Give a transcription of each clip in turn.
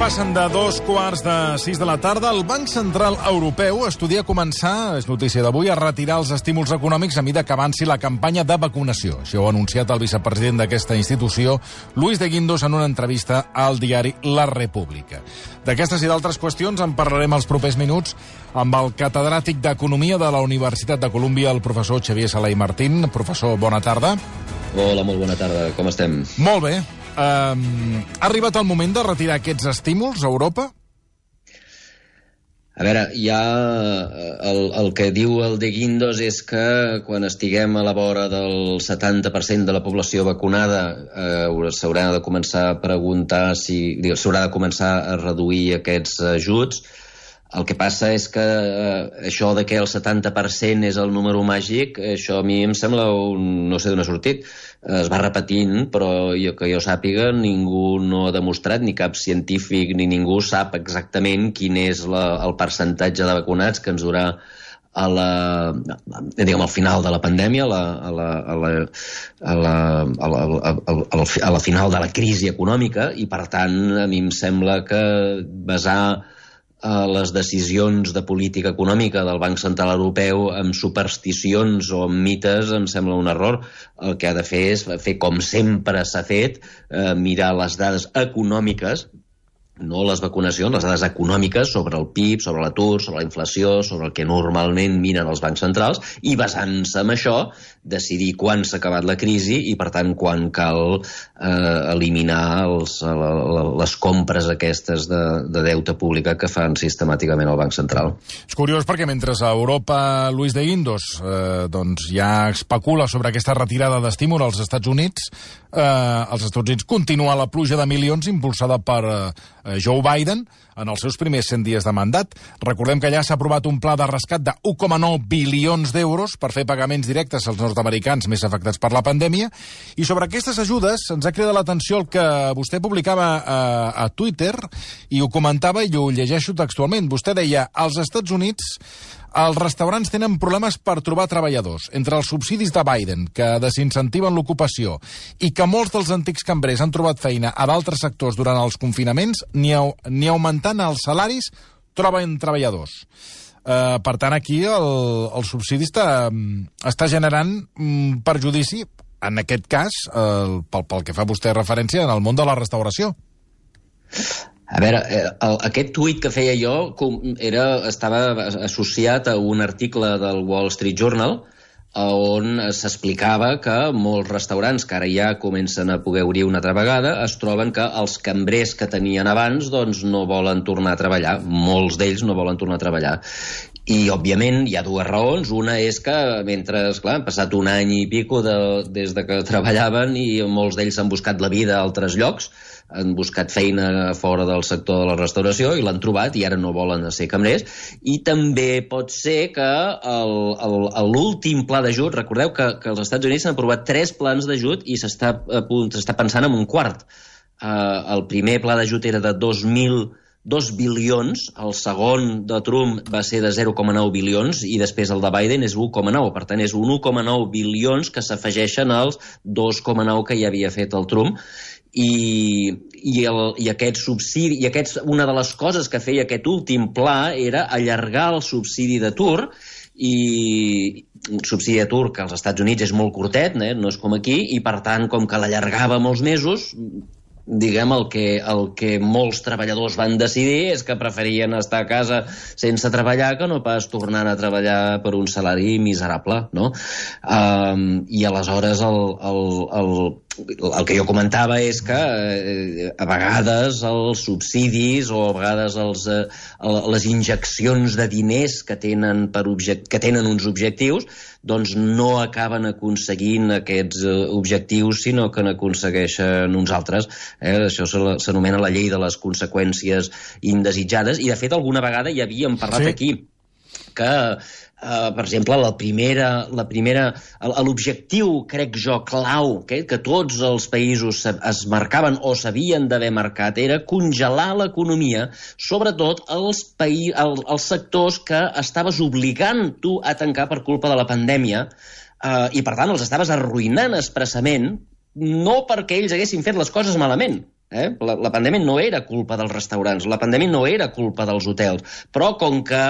Passen de 2:45 de la tarda. El Banc Central Europeu estudia començar, és notícia d'avui, a retirar els estímuls econòmics a mesura que avanci la campanya de vacunació. Això ho ha anunciat el vicepresident d'aquesta institució, Luis de Guindos, en una entrevista al diari La República. D'aquestes i d'altres qüestions en parlarem els propers minuts amb el catedràtic d'Economia de la Universitat de Colúmbia, el professor Xavier Sala i Martín. Professor, bona tarda. Hola, molt bona tarda. Com estem? Molt bé. Ha arribat el moment de retirar aquests estímuls a Europa? A veure, ja el que diu el de Guindos és que quan estiguem a la vora del 70% de la població vacunada s'haurà de començar a preguntar si s'haurà de començar a reduir aquests ajuts. El que passa és que això de que el 70% és el número màgic, això a mi em sembla no sé d'on ha sortit. Es va repetint, però que jo sàpiga, ningú no ha demostrat, ni cap científic ni ningú sap exactament quin és el percentatge de vacunats que ens durà al final de la pandèmia, a la final de la crisi econòmica, i per tant a mi em sembla que basar les decisions de política econòmica del Banc Central Europeu amb supersticions o amb mites em sembla un error. El que ha de fer és fer com sempre s'ha fet, mirar les dades econòmiques, no les vacunacions, les dades econòmiques sobre el PIB, sobre l'atur, sobre la inflació, sobre el que normalment miren els bancs centrals, i basant-se en això decidir quan s'ha acabat la crisi i, per tant, quan cal eliminar les compres aquestes de deute pública que fan sistemàticament el Banc Central. És curiós perquè mentre a Europa Luis de Guindos ja especula sobre aquesta retirada d'estímul als Estats Units, als Estats Units continua la pluja de milions impulsada per Joe Biden en els seus primers 100 dies de mandat. Recordem que ja s'ha aprovat un pla de rescat de 1,9 bilions d'euros per fer pagaments directes als nord-americans més afectats per la pandèmia. I sobre aquestes ajudes ens ha cridat l'atenció el que vostè publicava a Twitter i ho comentava i ho llegeixo textualment. Vostè deia, als Estats Units els restaurants tenen problemes per trobar treballadors. Entre els subsidis de Biden, que desincentiven l'ocupació, i que molts dels antics cambrers han trobat feina a d'altres sectors durant els confinaments, ni augmentant els salaris troben treballadors. Per tant, aquí el subsidi està generant perjudici, en aquest cas, pel que fa vostè referència, en el món de la restauració. A veure, aquest tuit que feia jo estava associat a un article del Wall Street Journal on s'explicava que molts restaurants que ara ja comencen a poder obrir una altra vegada es troben que els cambrers que tenien abans no volen tornar a treballar. Molts d'ells no volen tornar a treballar. I, òbviament, hi ha dues raons. Una és que, mentre, esclar, han passat un any i pico des que treballaven i molts d'ells han buscat la vida a altres llocs, han buscat feina fora del sector de la restauració i l'han trobat i ara no volen ser cambrers. I també pot ser que l'últim pla d'ajut, recordeu que als Estats Units s'han aprovat 3 plans d'ajut i s'està pensant en un quart. El primer pla d'ajut era de 2 bilions, el segon de Trump va ser de 0,9 bilions i després el de Biden és 1,9. Per tant, és un 1,9 bilions que s'afegeixen als 2,9 que ja havia fet el Trump. I aquest subsidi, una de les coses que feia aquest últim pla era allargar el subsidi d'atur, i un subsidi d'atur que als Estats Units és molt curtet, no és com aquí, i per tant, com que l'allargava molts mesos, diguem, el que molts treballadors van decidir és que preferien estar a casa sense treballar que no pas tornar a treballar per un salari miserable, no? I aleshores el que jo comentava és que a vegades els subsidis o a vegades les injeccions de diners que tenen uns objectius no acaben aconseguint aquests objectius, sinó que n'aconsegueixen uns altres. Això s'anomena la llei de les conseqüències indesitjades, i de fet alguna vegada ja havíem parlat aquí que per exemple, l'objectiu, crec jo, clau, que tots els països es marcaven o s'havien d'haver marcat, era congelar l'economia, sobretot els sectors que estaves obligant tu a tancar per culpa de la pandèmia, i per tant els estaves arruïnant expressament, no perquè ells haguessin fet les coses malament, La pandèmia no era culpa dels restaurants, la pandèmia no era culpa dels hotels, però com que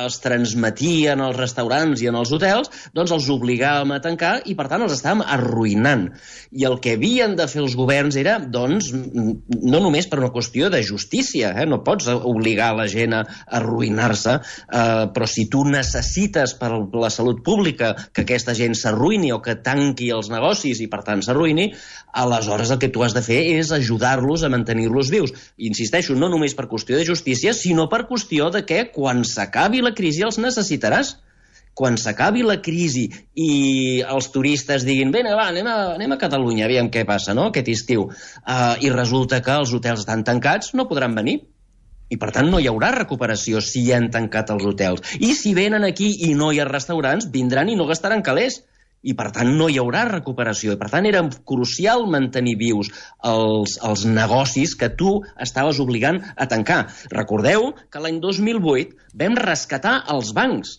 es transmetien als restaurants i en els hotels, doncs els obligàvem a tancar i, per tant, els estàvem arruïnant. I el que havien de fer els governs era, doncs, no només per una qüestió de justícia, no pots obligar la gent a arruïnar-se, però si tu necessites per la salut pública que aquesta gent s'arruïni o que tanqui els negocis i, per tant, s'arruïni, aleshores el que tu has de fer és ajudar-los a mantenir-los vius. Insisteixo, no només per qüestió de justícia, sinó per qüestió de que quan s'acabi la crisi els necessitaràs. Quan s'acabi la crisi i els turistes diguin «Bé, va, anem a Catalunya, aviam què passa, no?, aquest estiu», i resulta que els hotels estan tancats, no podran venir. I, per tant, no hi haurà recuperació si han tancat els hotels. I si venen aquí i no hi ha restaurants, vindran i no gastaran calés. I, per tant, no hi haurà recuperació. I, per tant, era crucial mantenir vius els negocis que tu estaves obligant a tancar. Recordeu que l'any 2008 vam rescatar els bancs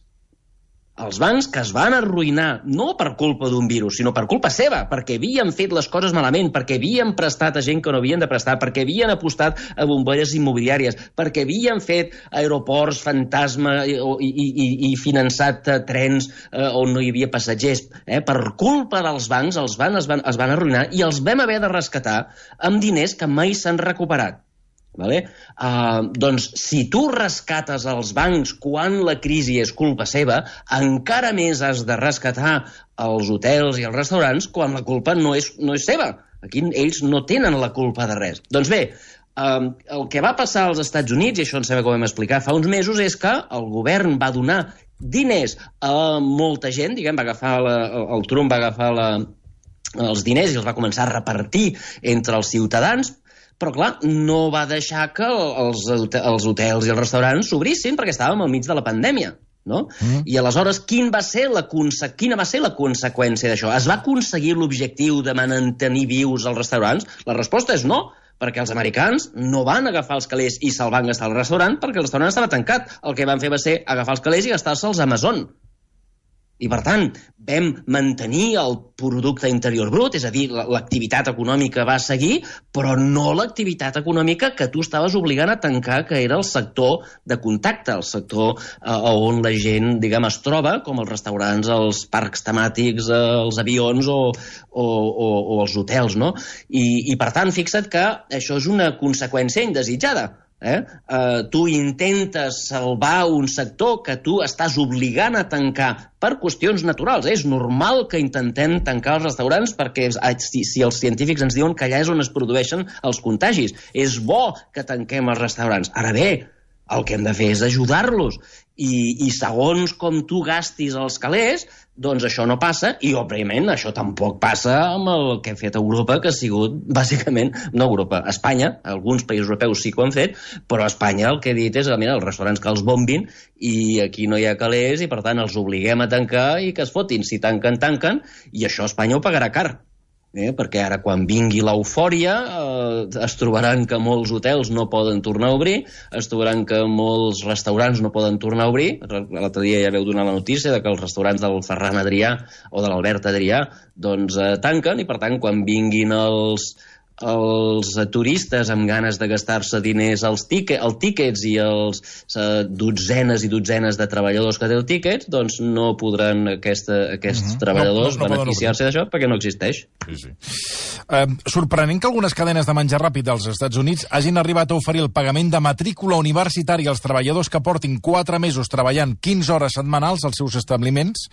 que es van arruïnar, no per culpa d'un virus, sinó per culpa seva, perquè havien fet les coses malament, perquè havien prestat a gent que no havien de prestar, perquè havien apostat a bombolles immobiliàries, perquè havien fet aeroports fantasma i finançat trens on no hi havia passatgers. Per culpa dels bancs, els bancs es van arruïnar i els vam haver de rescatar amb diners que mai s'han recuperat. Doncs si tu rescates els bancs quan la crisi és culpa seva, encara més has de rescatar els hotels i els restaurants quan la culpa no és seva. Aquí ells no tenen la culpa de res. Doncs bé, el que va passar als Estats Units, i això em sembla que ho vam explicar fa uns mesos, és que el govern va donar diners a molta gent, el Trump va agafar els diners i els va començar a repartir entre els ciutadans, però, clar, no va deixar que els hotels i els restaurants s'obrissin perquè estàvem al mig de la pandèmia, no? I aleshores, quina va ser la conseqüència d'això? Es va aconseguir l'objectiu de mantenir vius els restaurants? La resposta és no, perquè els americans no van agafar els calés i se'l van gastar al restaurant perquè el restaurant estava tancat. El que van fer va ser agafar els calés i gastar-se'ls a Amazon. I, per tant, vam mantenir el producte interior brut, és a dir, l'activitat econòmica va seguir, però no l'activitat econòmica que tu estaves obligant a tancar, que era el sector de contacte, el sector on la gent, es troba, com els restaurants, els parcs temàtics, els avions o els hotels, no? I, per tant, fixa't que això és una conseqüència indesitjada. Tu intentes salvar un sector que tu estàs obligant a tancar per qüestions naturals. És normal que intentem tancar els restaurants perquè si els científics ens diuen que allà és on es produeixen els contagis. És bo que tanquem els restaurants. Ara bé, el que hem de fer és ajudar-los. I segons com tu gastis els calés, doncs això no passa, i òbviament això tampoc passa amb el que ha fet Europa, que ha sigut, bàsicament, no Europa, Espanya, alguns països europeus sí que ho han fet, però Espanya el que ha dit és, mira, els restaurants que els bombin, i aquí no hi ha calés, i per tant els obliguem a tancar i que es fotin. Si tanquen, tanquen, i això Espanya ho pagarà car. Perquè ara quan vingui l'eufòria es trobaran que molts hotels no poden tornar a obrir, es trobaran que molts restaurants no poden tornar a obrir. L'altre dia ja veu donar la notícia de que els restaurants del Ferran Adrià o de l'Albert Adrià doncs tanquen, i per tant quan vinguin els turistes amb ganes de gastar-se diners als tíquets i els dotzenes i dotzenes de treballadors que té el tíquet, doncs no podran aquests treballadors beneficiar-se d'això perquè no existeix. Sí. Sorprenent que algunes cadenes de menjar ràpid dels Estats Units hagin arribat a oferir el pagament de matrícula universitària als treballadors que portin 4 mesos treballant 15 hores setmanals als seus establiments,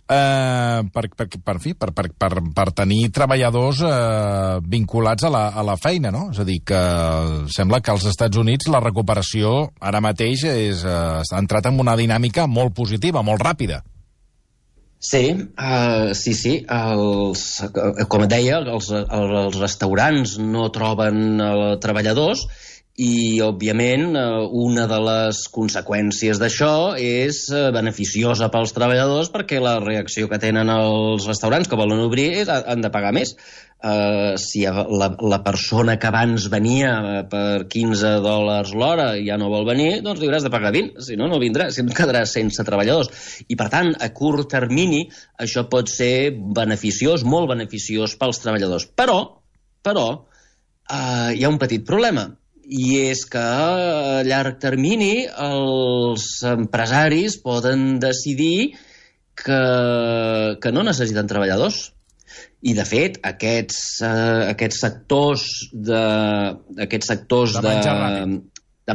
per tenir treballadors vinculats a la feina, no? És a dir, que sembla que als Estats Units la recuperació ara mateix ha entrat en una dinàmica molt positiva, molt ràpida. Sí. Com et deia, els restaurants no troben treballadors, i, òbviament, una de les conseqüències d'això és beneficiosa pels treballadors perquè la reacció que tenen els restaurants que volen obrir és han de pagar més. Si la persona que abans venia per $15 l'hora ja no vol venir, doncs li hauràs de pagar 20, si no, no vindrà, si no quedarà sense treballadors. I, per tant, a curt termini, això pot ser beneficiós, molt beneficiós pels treballadors. Però hi ha un petit problema, i és que a llarg termini els empresaris poden decidir que no necessiten treballadors. I, de fet, aquests sectors de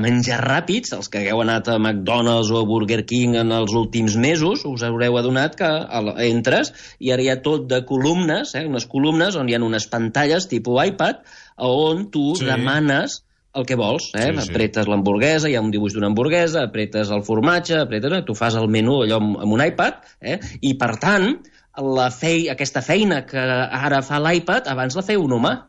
menjar ràpids, els que hagueu anat a McDonald's o a Burger King en els últims mesos, us haureu adonat que entres i ara hi ha tot de columnes, unes columnes on hi ha unes pantalles tipus iPad, on tu demanes el que vols, apretes l'hamburguesa, hi ha un dibuix d'una hamburguesa, apretes el formatge, tu fas el menú allò amb un iPad, i per tant, aquesta feina que ara fa l'iPad, abans la feia un humà.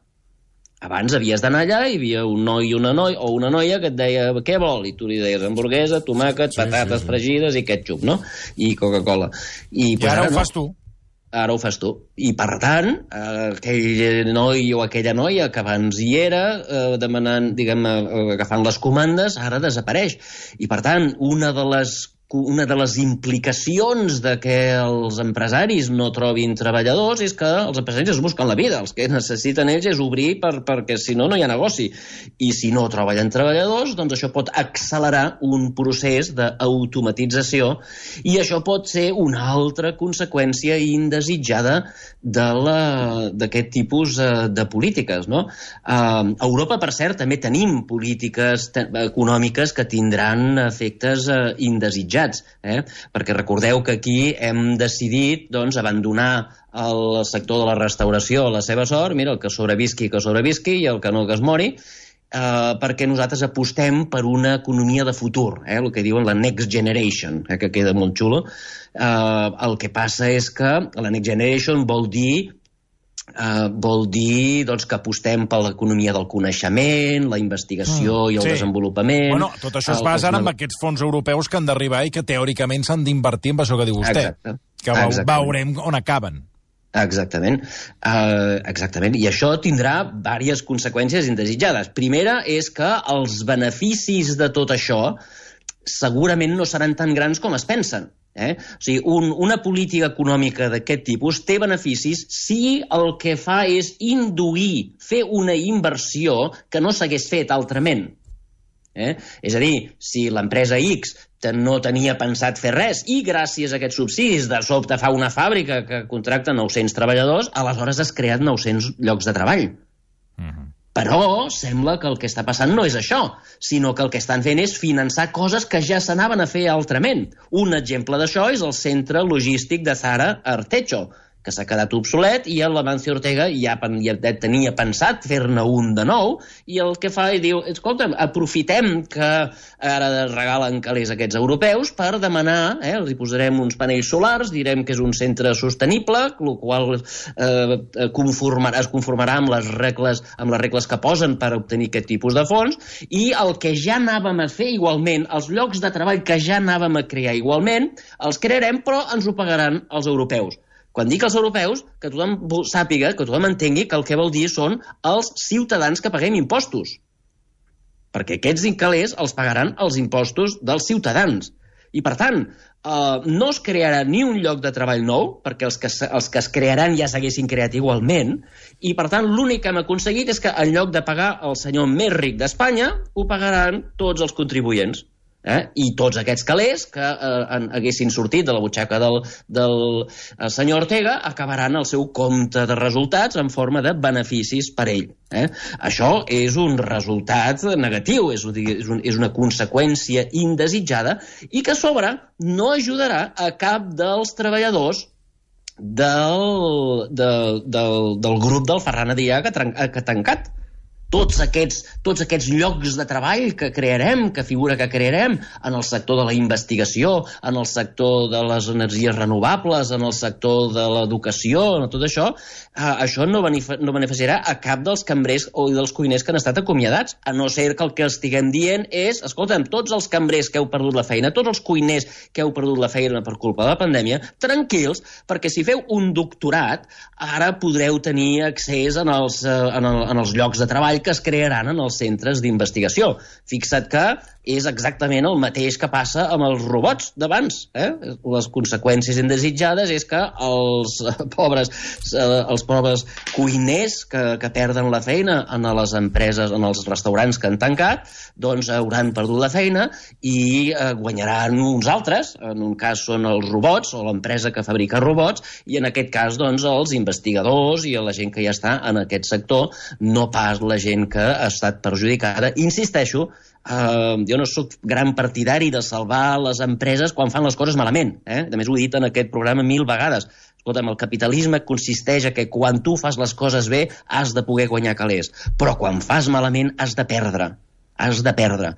Abans havies d'anar allà i hi havia un noi i una noia que et deia què vol, i tu li deies hamburguesa, tomàquet, patates fregides i ketchup, no? I Coca-Cola. I ara ho fas tu. Ara ho fas tu. I, per tant, aquell noi o aquella noia que abans hi era, demanant, agafant les comandes, ara desapareix. I, per tant, una de les implicacions de que els empresaris no trobin treballadors és que els empresaris es busquen la vida. Els que necessiten ells és obrir perquè si no, no hi ha negoci. I si no troben treballadors, doncs això pot accelerar un procés d'automatització i això pot ser una altra conseqüència indesitjada d'aquest tipus de polítiques, no? A Europa, per cert, també tenim polítiques econòmiques que tindran efectes indesitjats. Perquè recordeu que aquí hem decidit abandonar el sector de la restauració a la seva sort, mira, el que sobrevisqui i el que no que es mori, perquè nosaltres apostem per una economia de futur, el que diuen la Next Generation, que queda molt xulo. El que passa és que la Next Generation vol dir que apostem per l'economia del coneixement, la investigació i el desenvolupament. Bueno, tot això es basa en aquests fons europeus que han d'arribar i que teòricament s'han d'invertir en això que diu vostè. Que veurem on acaben. Exactament. I això tindrà diverses conseqüències indesitjades. Primera és que els beneficis de tot això segurament no seran tan grans com es pensen. O sigui, una política econòmica d'aquest tipus té beneficis si el que fa és induir, fer una inversió que no s'hagués fet altrament. És a dir, si l'empresa X no tenia pensat fer res i gràcies a aquests subsidis de sobte fa una fàbrica que contracta 900 treballadors, aleshores has creat 900 llocs de treball. Però sembla que el que està passant no és això, sinó que el que estan fent és finançar coses que ja s'anaven a fer altrament. Un exemple d'això és el centre logístic de Zara Arteixo, que s'ha quedat obsolet i l'Amancio Ortega ja tenia pensat fer-ne un de nou i el que fa és diu, escolta'm, aprofitem que ara regalen calés aquests europeus per demanar, els hi posarem uns panells solars, direm que és un centre sostenible, el qual es conformarà amb les regles que posen per obtenir aquest tipus de fons i el que ja anàvem a fer igualment, els llocs de treball que ja anàvem a crear igualment, els crearem però ens ho pagaran els europeus. Quan dic els europeus, que tothom sàpiga, que tothom entengui que el que vol dir són els ciutadans que paguem impostos. Perquè aquests calés els pagaran els impostos dels ciutadans. I, per tant, no es crearà ni un lloc de treball nou, perquè els que es crearan ja s'haguessin creat igualment, i, per tant, l'únic que hem aconseguit és que en lloc de pagar el senyor més ric d'Espanya, ho pagaran tots els contribuents. I tots aquests calés que haguessin sortit de la butxaca del senyor Ortega acabaran el seu compte de resultats en forma de beneficis per ell. Això és un resultat negatiu, és una conseqüència indesitjada i que a sobre no ajudarà a cap dels treballadors del grup del Ferran Adrià que ha tancat. Tots aquests llocs de treball que crearem, que figura que crearem en el sector de la investigació, en el sector de les energies renovables, en el sector de l'educació, en tot això, això no beneficiarà a cap dels cambrers o dels cuiners que han estat acomiadats, a no ser que el que estiguem dient és, escolta'm, tots els cambrers que heu perdut la feina, tots els cuiners que heu perdut la feina per culpa de la pandèmia, tranquils, perquè si feu un doctorat, ara podreu tenir accés en els llocs de treball que es crearan en els centres d'investigació. Fixa't que és exactament el mateix que passa amb els robots d'abans. Les conseqüències indesitjades és que els pobres cuiners que perden la feina en les empreses, en els restaurants que han tancat, doncs hauran perdut la feina i guanyaran uns altres. En un cas són els robots o l'empresa que fabrica robots, i en aquest cas doncs els investigadors i la gent que ja està en aquest sector, no pas la gent que ha estat perjudicada. Insisteixo, jo no sóc gran partidari de salvar les empreses quan fan les coses malament. A més, ho he dit en aquest programa 1000 vegades. Escolta'm, el capitalisme consisteix a que quan tu fas les coses bé has de poder guanyar calés, però quan fas malament has de perdre. Has de perdre.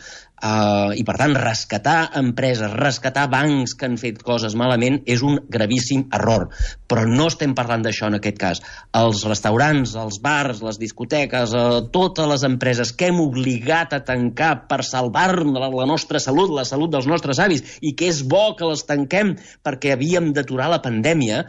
I, per tant, rescatar empreses, rescatar bancs que han fet coses malament és un gravíssim error. Però no estem parlant d'això en aquest cas. Els restaurants, els bars, les discoteques, totes les empreses que hem obligat a tancar per salvar la nostra salut, la salut dels nostres avis, i que és bo que les tanquem perquè havíem d'aturar la pandèmia,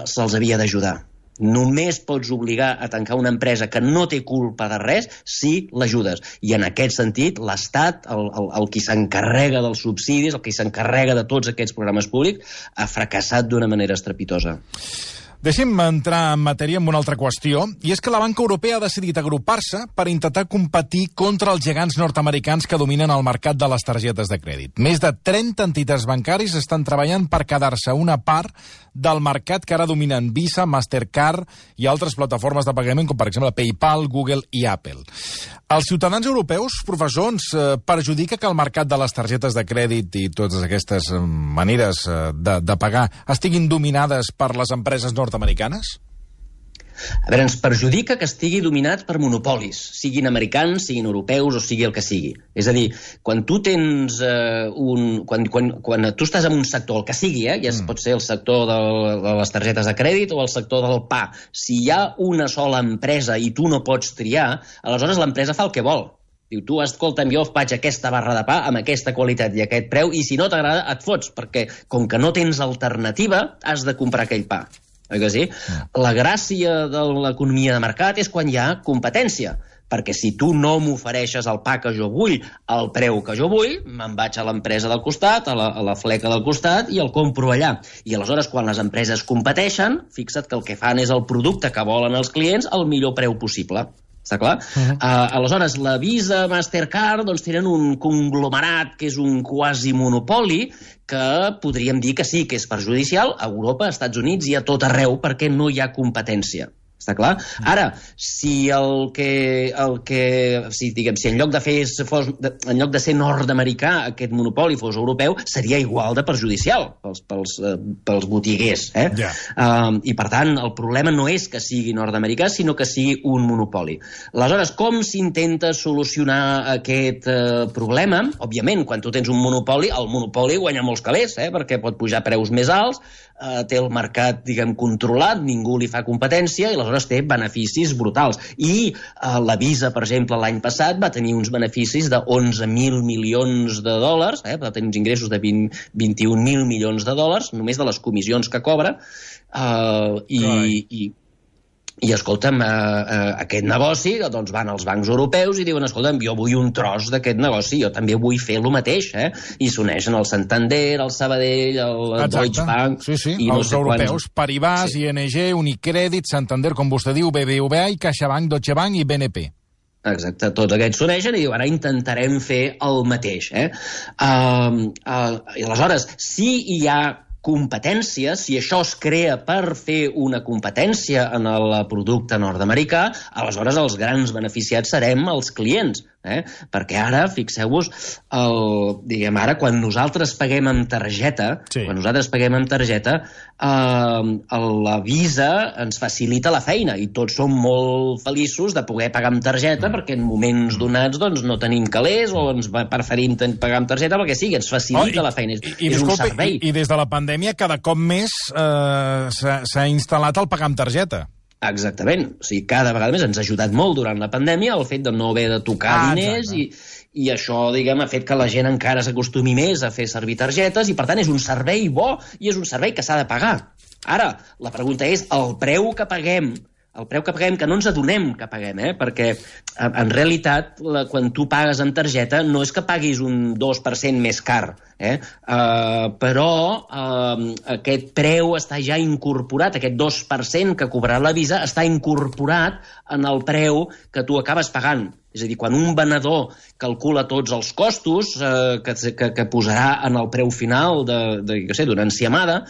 se'ls havia d'ajudar. Només pots obligar a tancar una empresa que no té culpa de res si l'ajudes. I en aquest sentit, l'Estat, el qui s'encarrega dels subsidis, el qui s'encarrega de tots aquests programes públics, ha fracassat d'una manera estrepitosa. Deixi'm entrar en matèria amb una altra qüestió, i és que la banca europea ha decidit agrupar-se per intentar competir contra els gegants nord-americans que dominen el mercat de les targetes de crèdit. Més de 30 entitats bancaris estan treballant per quedar-se una part del mercat que ara dominen Visa, Mastercard i altres plataformes de pagament, com per exemple PayPal, Google i Apple. Els ciutadans europeus, professor, ens perjudica que el mercat de les targetes de crèdit i totes aquestes maneres de pagar estiguin dominades per les empreses nord-americanes? A veure, ens perjudica que estigui dominat per monopolis, siguin americans, siguin europeus o sigui el que sigui. És a dir, quan tu tens quan tu estàs en un sector, el que sigui, ja pot ser el sector de les targetes de crèdit o el sector del pa, si hi ha una sola empresa i tu no pots triar, aleshores l'empresa fa el que vol. Diu, tu, escolta'm, jo faig aquesta barra de pa amb aquesta qualitat i aquest preu, i si no t'agrada et fots, perquè com que no tens alternativa, has de comprar aquell pa. Oi que sí? La gràcia de l'economia de mercat és quan hi ha competència, perquè si tu no m'ofereixes el pa que jo vull al preu que jo vull, me'n vaig a l'empresa del costat, a la fleca del costat, i el compro allà. I aleshores, quan les empreses competeixen, fixa't que el que fan és el producte que volen els clients al millor preu possible. Està clar? Aleshores, la Visa, Mastercard, doncs tenen un conglomerat que és un quasi monopoli que podríem dir que sí, que és perjudicial a Europa, als Estats Units i a tot arreu perquè no hi ha competència. Està clar? Ara, si si en lloc de ser nord-americà aquest monopoli fos europeu, seria igual de perjudicial pels botiguers. I per tant, el problema no és que sigui nord-americà, sinó que sigui un monopoli. Aleshores, com s'intenta solucionar aquest problema? Òbviament, quan tu tens un monopoli, el monopoli guanya molts calés, perquè pot pujar preus més alts, té el mercat, diguem, controlat, ningú li fa competència i aleshores té beneficis brutals. I la Visa, per exemple, l'any passat va tenir uns beneficis de 11.000 milions de dòlars, va tenir uns ingressos de 21.000 milions de dòlars, només de les comissions que cobra, i escolta'm, aquest negoci, doncs van als bancs europeus i diuen, escolta'm, jo vull un tros d'aquest negoci, jo també vull fer el mateix, i s'uneixen el Santander, el Sabadell, el Deutsche Bank... Sí, els europeus, Paribas, ING, Unicredit, Santander, com vostè diu, BBVA i CaixaBank, Deutsche Bank i BNP. Exacte, tots aquests s'uneixen i diuen, ara intentarem fer el mateix. I aleshores, si hi ha competència, si això es crea per fer una competència en el producte nord-americà, aleshores els grans beneficiats serem els clients. Perquè ara, fixeu-vos, ara quan nosaltres paguem amb targeta, la Visa ens facilita la feina i tots som molt feliços de poder pagar amb targeta perquè en moments donats no tenim calés o ens preferim pagar amb targeta perquè sí, ens facilita la feina. És un servei. I des de la pandèmia cada cop més s'ha instal·lat el pagar amb targeta. Exactament. O sigui, cada vegada més ens ha ajudat molt durant la pandèmia el fet de no haver de tocar diners i això, diguem, ha fet que la gent encara s'acostumi més a fer servir targetes i, per tant, és un servei bo i és un servei que s'ha de pagar. Ara, la pregunta és, el preu que paguem el preu que paguem, que no ens adonem que paguem, perquè en realitat quan tu pagues amb targeta no és que paguis un 2% més car, però aquest preu està ja incorporat, aquest 2% que cobrarà la Visa està incorporat en el preu que tu acabes pagant. És a dir, quan un venedor calcula tots els costos que posarà en el preu final d'una enciamada,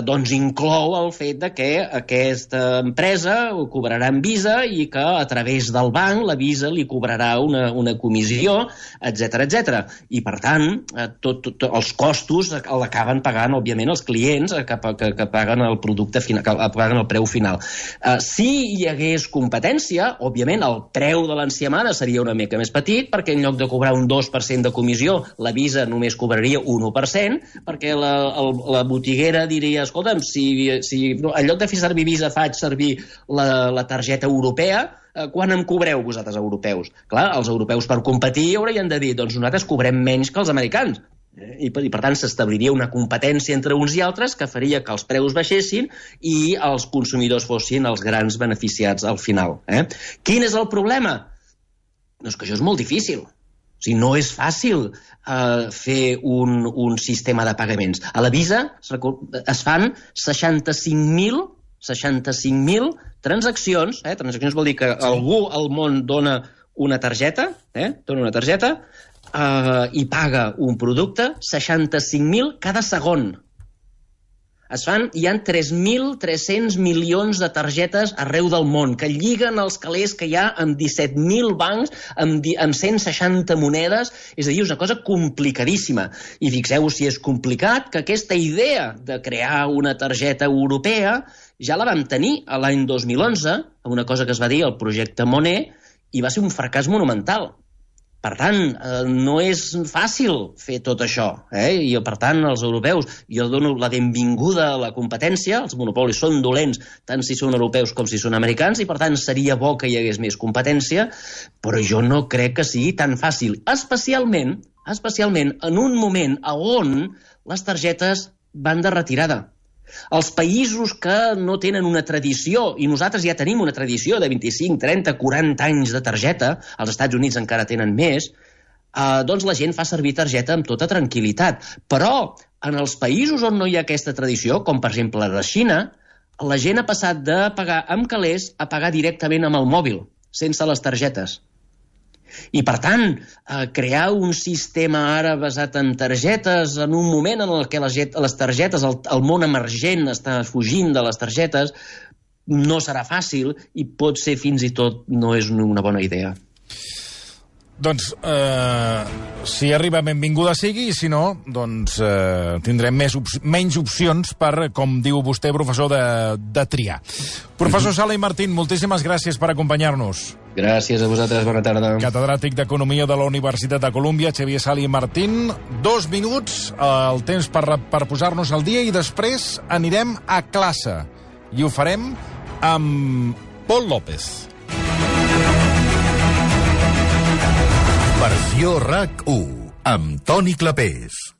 doncs inclou el fet que aquesta empresa ho cobrarà en Visa i que a través del banc la Visa li cobrarà una comissió, etc. I, per tant, els costos l'acaben pagant, òbviament, els clients que paguen el producte final, que paguen el preu final. Si hi hagués competència, òbviament, el preu de l'enciamada seria una mica més petit, perquè en lloc de cobrar un 2% de comissió, la Visa només cobraria un 1%, perquè la botiguera diria, escolta'm, si en lloc de fer servir Visa faig servir la targeta europea, quan em cobreu vosaltres, europeus? Clar, els europeus per competir haurien de dir, doncs nosaltres cobrem menys que els americans. I per tant s'establiria una competència entre uns i altres que faria que els preus baixessin i els consumidors fossin els grans beneficiats al final. Quin és el problema? Doncs que això és molt difícil. O sigui, no és fàcil fer un sistema de pagaments. A la Visa es fan 65.000 transaccions. Transaccions vol dir que algú al món dona una targeta, i paga un producte, 65.000 cada segon. Hi ha 3.300 milions de targetes arreu del món que lliguen els calés que hi ha amb 17.000 bancs, amb 160 monedes. És a dir, és una cosa complicadíssima. I fixeu-vos si és complicat que aquesta idea de crear una targeta europea ja la vam tenir l'any 2011, amb una cosa que es va dir el projecte Monet, i va ser un fracàs monumental. Per tant, no és fàcil fer tot això. I, per tant, els europeus, jo dono la benvinguda a la competència, els monopolis són dolents tant si són europeus com si són americans, i per tant seria bo que hi hagués més competència, però jo no crec que sigui tan fàcil, especialment en un moment on les targetes van de retirada. Els països que no tenen una tradició, i nosaltres ja tenim una tradició de 25, 30, 40 anys de targeta, als Estats Units encara tenen més, doncs la gent fa servir targeta amb tota tranquil·litat. Però en els països on no hi ha aquesta tradició, com per exemple la Xina, la gent ha passat de pagar amb calés a pagar directament amb el mòbil, sense les targetes. I, per tant, crear un sistema ara basat en targetes en un moment en què les targetes, el món emergent està fugint de les targetes, no serà fàcil i pot ser fins i tot no és una bona idea. Doncs, si arriba, benvinguda sigui, i si no, doncs tindrem menys opcions per, com diu vostè, professor, de triar. Professor Sala i Martín, moltíssimes gràcies per acompanyar-nos. Gràcies a vosaltres, bona tarda. Catedràtic d'Economia de la Universitat de Colúmbia, Xavier Sala i Martín. 2 minuts, el temps per posar-nos al dia, i després anirem a classe. I ho farem amb Pol López. Versió RAC 1, amb Toni Clapés.